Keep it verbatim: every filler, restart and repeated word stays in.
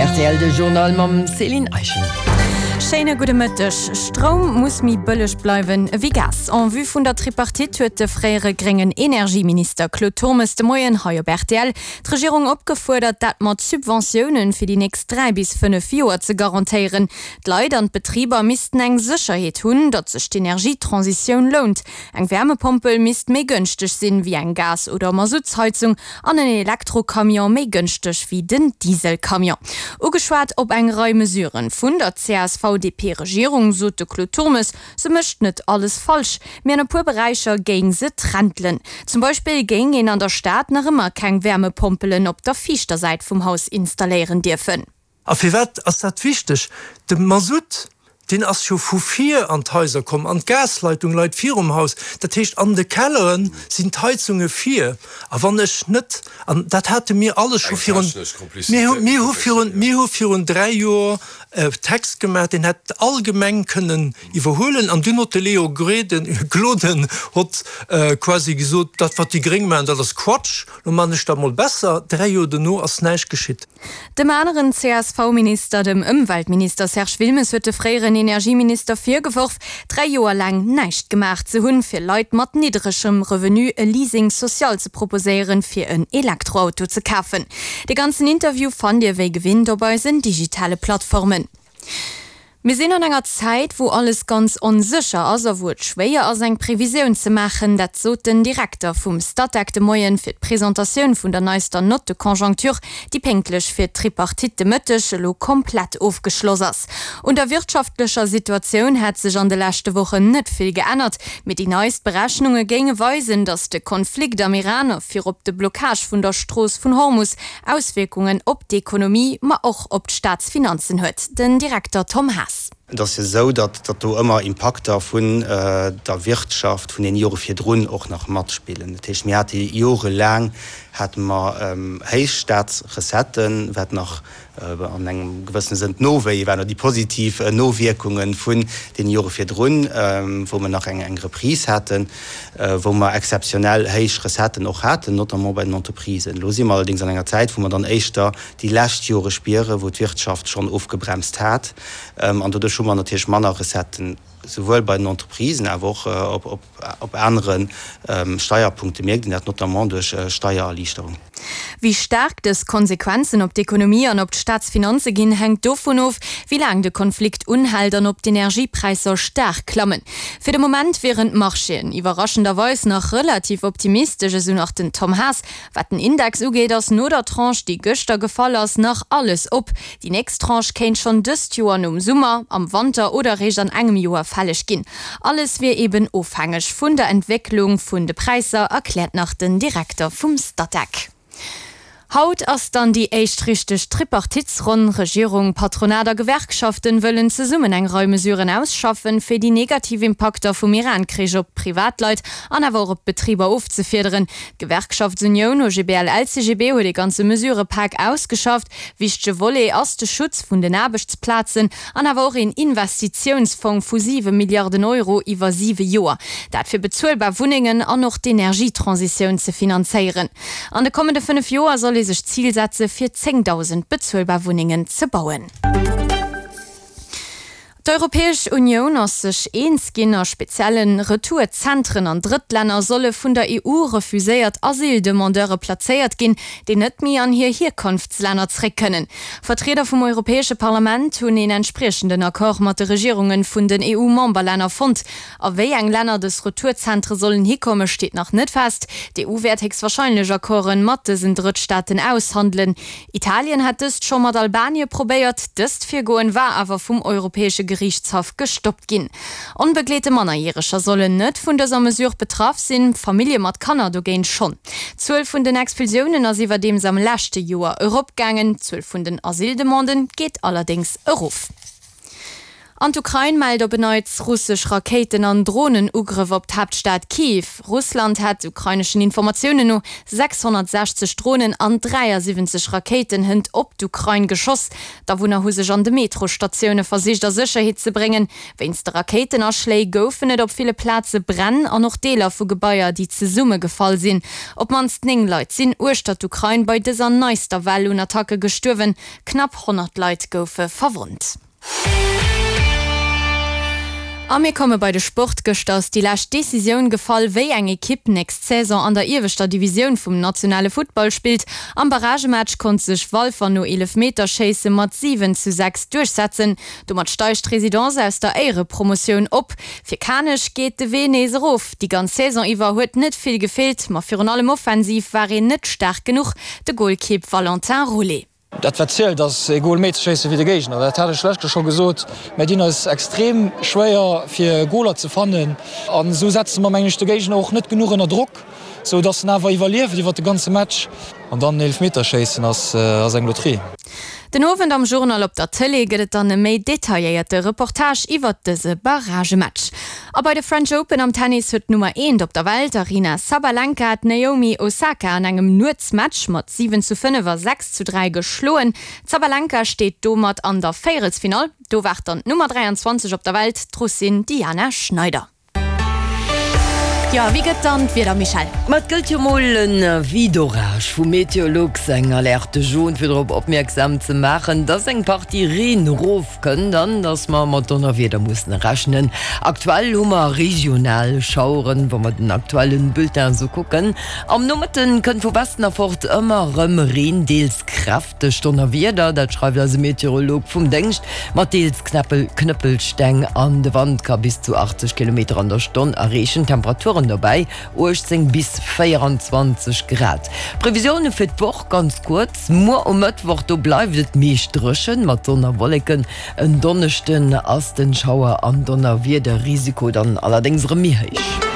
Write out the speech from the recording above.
Rtl de Journal mam Céline Eischen. Schéine gudde Mëtteg. Stroum muss méi bëlleg bleiwen ewéi Gas. En vue vun der Tripartite huet de fréiere gréngen Energieminister Claude Turmes de Moien hei op rtl d'Regierung opgefuerdert, dat mat Subventiounen fir déi nächst dräi bis fënnef Joer ze garantéieren. D'Leit an d'Betriber missten eng Sécherheet hunn, datt sech d'Energietransitioun lount. Eng Wärmepompel misst méi gënschteg sinn wéi eng Gas oder Masuttsheizung an en Elektrocamion méi gënschteg wéi den Dieselcamion. Ugeschwat op eng Rei Mesuren vun der CSV-DP-Regierung, sot de Claude Turmes, se mécht net alles falsch, mee an e puer Beräicher géing se trentelen. Zum Beispill géing een an der Stad nach ëmmer keng Wärmepompelen op der viischter Säit vum Haus installéieren dierfen. A firwat ass dat wichteg? De Masutt, deen ass jo vu vir an d'Haiser komm, an d'Gasleitung leit virum Haus. Dat heescht, an de Kellere sinn d'Heizunge vir. A wann ech net, an dat hate mir alles scho virun, mir hu, mir hu virun, mir hu virun dräi Joer e Text gemaach, deen hätt all Gemeng kënnen iwwerhuelen. An dunn huet de Léo Gräden, Gloden huet quasi gesot, dat wat déi Gréng maachen, dat ass Quatsch, lo maachen ech dat mol besser. Dräi Joer dono ass näischt geschitt. Dem aneren C S V-Minister, dem Ëmweltminister Serge Wilmes, huet de fréieren Energieminister virgeworf, dräi Joer laang näischt gemaach ze hunn, fir Leit mat niddregem Revenu e Leasing social ze proposéieren, fir en Elektroauto ze kafen. De ganzen Interview fannt Dir wéi gewinnt op eisen digitale Plattformen. Mir sinn an enger Zäit, wou alles ganz onsécher ass a wou et schwéier ass, eng Previsioun ze maachen. Dat sot den Direkter vum Statec de Moien fir d'Presentatioun vun der neister Note de conjoncture, déi pénktlech fir d'Tripartite de Mëtteg elo komplett ofgeschloss ass. Un der wirtschaftlecher Situatioun hätt sech an de leschte Wochen net vill geännert, mee déi neist Berechnunge géinge weisen, datt de Konflikt am Iran a virop de Blockage vun der Strooss vun Hormus Auswierkungen op d'Ekonomie, ma och op d'Staatsfinanzen huet. Den Direkter Tom Haas. Et ass jo esou, datt datt do ëmmer Impakter vun der Wirtschaft vun den Jore virdrun och nach matspillen. Dat heescht, mir hate jorelaang hate mer héich Staatsrecetten, wat nach an engem gewëssene Sënn d'Nowéie waren oder déi positiv Nowierkunge vun deene Jore virdrun, wou mer nach eng Reprise haten, wou mer exzeptionell héich Recetten och haten, notamment bei den Entreprisen. Elo si mer allerdéngs an enger Zäit, wou mer dann éischter déi lescht Jore spieren, wou d'Wirtschaft schonn ofgebremst hat, an doduerch hu mer natierlech manner Recetten, souwuel bei den Entreprisen, awer och op anere Steierpunkte mierkt een dat, notamment duerch Steiererliichterung. Wéi staark dës Konsequenzen op d'Ekonomie an op d'Staatsfinanze ginn, hänkt dovun of, wéi laang de Konflikt unhält an ob d'Energiepräisser staark klammen. Fir de Moment wieren d'Marchéen iwwerraschenderweis nach relativ optimistesch, esou nach den Tom Haas. Wat den Index ugeet, ass no der Tranche, déi gëschter gefall ass, nach alles op. Déi nächst Tranche kéint schonn dëst Joer nom Summer, am Wanter oder eréischt an engem Joer fälleg ginn. Alles wier eben ofhängeg vun der Entwécklung vun de Präisser, erkläert nach den Direkter vum Statec. Haut ass dann déi éischt richteg Tripartitsronn. Regierung, Patronat a Gewerkschaften wëllen zesummen eng Rei Mesuren ausschaffen, fir déi negativ Impakter vum Iran-Krich op d'Privatleit an awer och op d'Betriber ofzefiederen. D'Gewerkschaftsunioun O G B L L C G B huet ee ganze Mesurepak ausgeschafft. Wichtege Volet ass de Schutz vun den Aarbechtsplazen an awer och een Investitiounsfong vu siwe Milliarden Euro iwwer siwe Joer. Dat fir bezuelbar Wunnengen an och d'Energietransitioun ze finanzéieren. An de kommende fënnef Joer soll ee sech d'Zil setze fir zéngdausend bezuelbar Wunnengen ze bauen. D'Europäesch Unioun ass sech eens ginn, a spezielle Retourzentren an Drëttlänner solle vun der E U refuséiert Asyldemandeure plazéiert ginn, déi net méi an hir Hierkonftslänner zréck kënnen. Vertrieder vum Europäesche Parlament hunn een entspriechenden Accord mat de Regierunge vun den E U-Memberlänner fonnt. A wéi eng Länner dës Retourzentre sollen hikomme steet nach net fest. D'E U wäert héchstwarscheinlech Accorden mat dësen Drëttstaaten aushandelen. Italien hat dëst scho mat Albanien probéiert, dëst Virgoen war awer vum Europäesche Geriichtshaff gestoppt ginn. Onbegleete Mannerjäreger sollen net vun dëser Mesure betraff sinn, Famillje mat Kanner dogéint schonn. D'Zuel vun den Expulsiounen ass iwwerdeems am leschte Joer eropgaangen, d'Zuel vun den Asyldemanden geet allerdéngs erof. An d'Ukrain mellt op en Neits russesch Rakéiten an Dronenugrëff op d'Haaptstad Kiew. Russland hätt, ukraineschen Informatiounen no, sechshonnertsechzeg Dronen an dräiasiwwenzeg Rakéiten hënt op d'Ukrain geschoss. D'Awunner hu sech an de Metrostatioune versicht a Sécherheet ze bréngen. Wéinst de Rakéitenaschléi goufen et op ville Plaze Bränn an och Deeler vu Gebaier, déi zesummegefall sinn. Op d'mannst néng Leit sinn uechter d'Ukrain bei dëser neister Well un Attacke gestuerwen. Knapp honnert Leit goufe verwonnt. A mir komme bei de Sport. Gëschter ass déi lescht Decisioun gefall, wéi eng Ekipp nächst Saison an der ieweschter Divisioun vum nationale Futtball spillt. Am Barragematch konnt sech Walfer no Eelefmeterschéisse mat siwen zu sechs duerchsetzen. Domat steigt d'Residence aus der Éierepromotioun op. Fir Kanech geet de Wee nees erof. Déi ganz Saison iwwer huet net vill gefeelt, ma virun allem offensiv war een net staark genuch. De Golkipp Valentin Roulet. Dat wat zielt ass ee Gol méi ze schéissen wéi de Géigner. Dat hat ech lech scho gesot. Mir dinn eis extrem schwéier fir Goler ze fannen an esou setze mer mengen ech de Géigner och net genuch ënner Drock, sou dass en awer iwwerlieft iwwert de ganze Match. An dann Eelefmeterschéissen ass ass eng Loterie. Den Owend am Journal op der Tëlee gëtt et dann e méi detailléierte Reportage iwwert dëse Barragematch. A bei de French Open am Tennis huet d'Nummer eent op der Welt, Aryna Sabalenka, d'Naomi Osaka an engem Nuetsmatch mat siwen zu fënnef a sechs zu dräi geschloen. D'Sabalenka steet domat an der Véierelsfinall. Do waart dann d'Nummer dräianzwanzeg op der Welt, d'Russin Diana Schneider. Jo, wéi gëtt dann d'Wieder, Michèle? Ma et gëllt jo mol en Avis d'orage vu Meteolux, eng Alerte jaune, fir drop opmierksam ze maachen, dass eng Partie Reen erofkënnt an dass mer mat Donnerwieder mussen rechnen. Aktuell hu mer regional Schaueren, wa mer den aktuellen Bulletin esou kucken. Am Nomëtten kënnt vu Westen erfort ëmmer erëm Reen, deels kräfteg Donnerwieder, dat schreift eise Meteorolog vum Déngscht, mat deels Knëppelsteng an de Wand ka bis zu achtzeg Kilometer an der Stonn erreechen. Temperaturen dobäi uechtzéng bis véieranzwanzeg Grad. Previsioune fir d'Woch ganz kuerz, Muer um Mëttwoch, do bleift et meescht dréchen mat Sonn a Wolleken. En Donneschden ass den Schauer an Donnerwiederrisiko dann allerdéngs erëm méi héich.